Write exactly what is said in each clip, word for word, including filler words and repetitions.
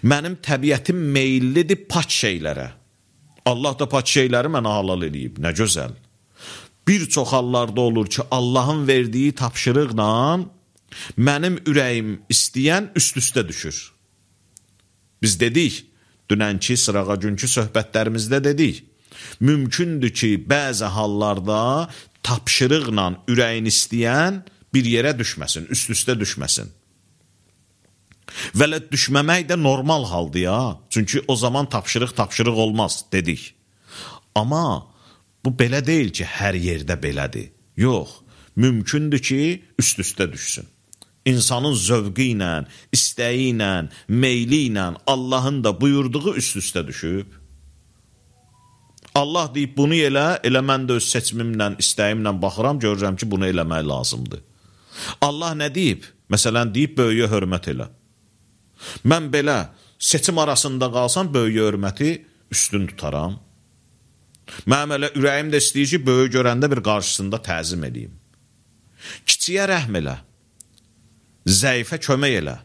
Mənim təbiətim meyillidir paç şeylərə. Allah da paç şeyləri mənə halal eləyib. Nə gözəl. Bir çox hallarda olur ki, Allahın verdiyi tapşırıqla mənim ürəyim istəyən üst-üstə düşür. Biz dedik, dünənki sırağa günkü söhbətlərimizdə dedik, mümkündür ki, bəzi hallarda tapşırıqla ürəyin istəyən bir yerə düşməsin, üst-üstə düşməsin. Vələ düşməmək də normal haldır ya. Çünki o zaman tapşırıq tapşırıq olmaz, dedik. Amma bu belə deyil ki, hər yerdə belədir. Yox, mümkündür ki, üst-üstə düşsün. İnsanın zövqü ilə, istəyi ilə, meyli ilə Allahın da buyurduğu üst-üstə düşüb. Allah deyib, bunu elə, elə mən də öz seçimimlə, istəyimlə baxıram, görürəm ki, bunu eləmək lazımdır. Allah nə deyib? Məsələn, deyib, böyüyə hörmət elə. Mən belə seçim arasında qalsam, böyüyə hörməti üstün tutaram. Mənim elə ürəyim də istəyir ki, böyü görəndə bir qarşısında təzim edeyim. Kiçiyə rəhm elə. Zəifə kömək elə.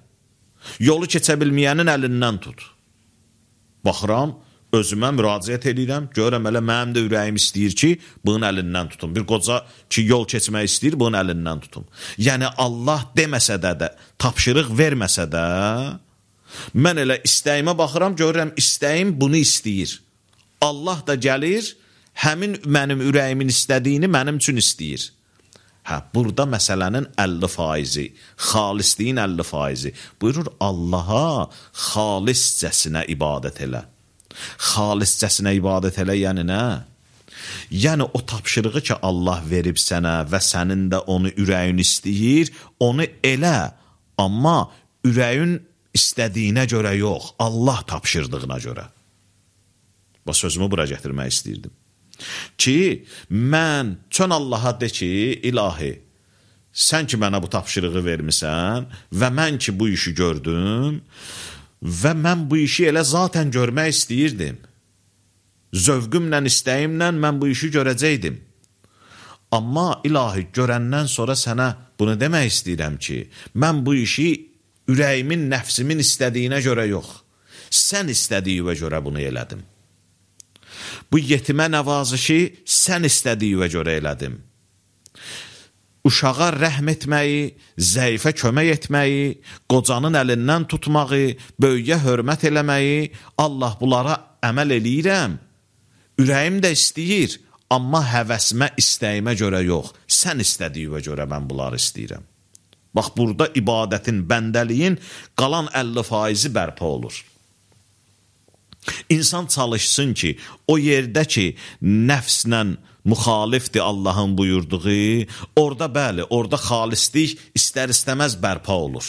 Yolu keçə bilməyənin əlindən tut. Baxıram, özümə müraciət edirəm, görəm elə mənim də ürəyim istəyir ki, bunun əlindən tutum. Bir qoca ki, yol keçmək istəyir, bunun əlindən tutum. Yəni, Allah deməsə də də, tapşırıq verməsə də, mən elə istəyimə baxıram, görürəm, istəyim bunu istəyir. Allah da gəlir, həmin mənim ürəyimin istədiyini mənim üçün istəyir. Hə, burada məsələnin əlli faizi, xalisliyin əlli faizi. Buyurur, Allaha xaliscəsinə ibadət elə. Xaliscəsinə ibadət elə, yəni nə? Yəni, o tapşırığı ki, Allah verib sənə və sənin də onu ürəyin istəyir, onu elə, amma ürəyin istədiyinə görə yox, Allah tapşırdığına görə. Bax, sözümü bura gətirmək istəyirdim. Ki, mən çön Allaha de ki, ilahi, sən ki mənə bu tapşırığı vermisən və mən ki bu işi gördüm və mən bu işi elə zaten görmək istəyirdim. Zövqümlə, istəyimlə mən bu işi görəcəkdim. Amma ilahi, görəndən sonra sənə bunu demək istəyirəm ki, mən bu işi ürəyimin, nəfsimin istədiyinə görə yox, sən istədiyinə görə bunu elədim. Bu yetimə nəvazişi sən istədiyinə görə elədim. Uşağa rəhm etməyi, zəifə kömək etməyi, qocanın əlindən tutmağı, böyüyə hörmət eləməyi, Allah bunlara əməl eləyirəm. Ürəyim də istəyir, amma həvəsimə, istəyimə görə yox, sən istədiyinə görə mən bunları istəyirəm. Bax, burada ibadətin, bəndəliyin qalan əlli faizi bərpa olur. İnsan çalışsın ki, o yerdə ki, nəfslə müxalifdir Allahın buyurduğu, orada bəli, orada xalislik istər-istəməz bərpa olur.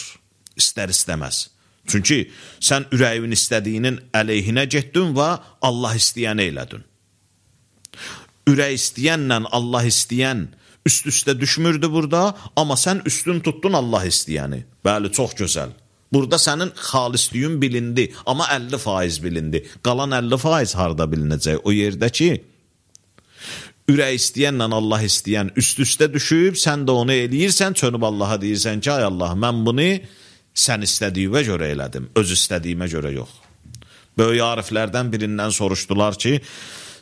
İstər-istəməz. Çünki sən ürəyin istədiyinin əleyhinə getdin və Allah istəyəni elədin. Ürək istəyənlə Allah istəyən üst-üstə düşmürdü burada, amma sən üstün tutdun Allah istəyəni. Bəli, çox gözəl. Burada sənin xalisliyin bilindi, amma əlli faiz bilindi. Qalan əlli faiz harada bilinəcək? O yerdə ki, ürək istəyənlə Allah istəyən üst-üstə düşüb, sən də onu eləyirsən, çönüb Allaha deyirsən ki, ay Allah, mən bunu sən istədiyinə görə elədim, öz istədiyimə görə yox. Böyük ariflərdən birindən soruşdular ki,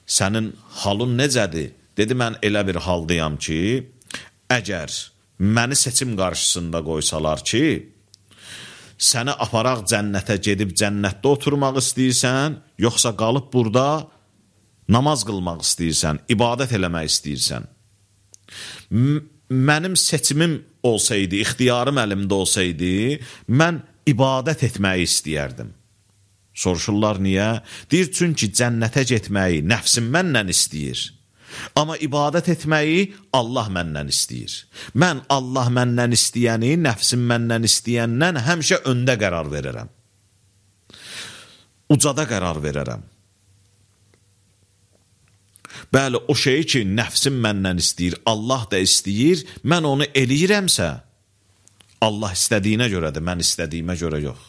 sənin halın necədir? Dedi, mən elə bir haldayam ki, əgər məni seçim qarşısında qoysalar ki, səni aparaq cənnətə gedib cənnətdə oturmaq istəyirsən, yoxsa qalıb burada namaz qılmaq istəyirsən, ibadət eləmək istəyirsən. Mənim seçimim olsaydı, ixtiyarım əlimdə olsaydı, mən ibadət etməyi istəyərdim. Soruşurlar, niyə? Deyir, çünki cənnətə getməyi nəfsim məndən istəyir. Amma ibadət etməyi Allah məndən istəyir. Mən Allah məndən istəyəni, nəfsim məndən istəyəndən həmişə öndə qərar verərəm. Ucada qərar verərəm. Bəli, o şeyi ki, nəfsim məndən istəyir, Allah da istəyir, mən onu eləyirəmsə, Allah istədiyinə görədir, mən istədiyimə görə yox.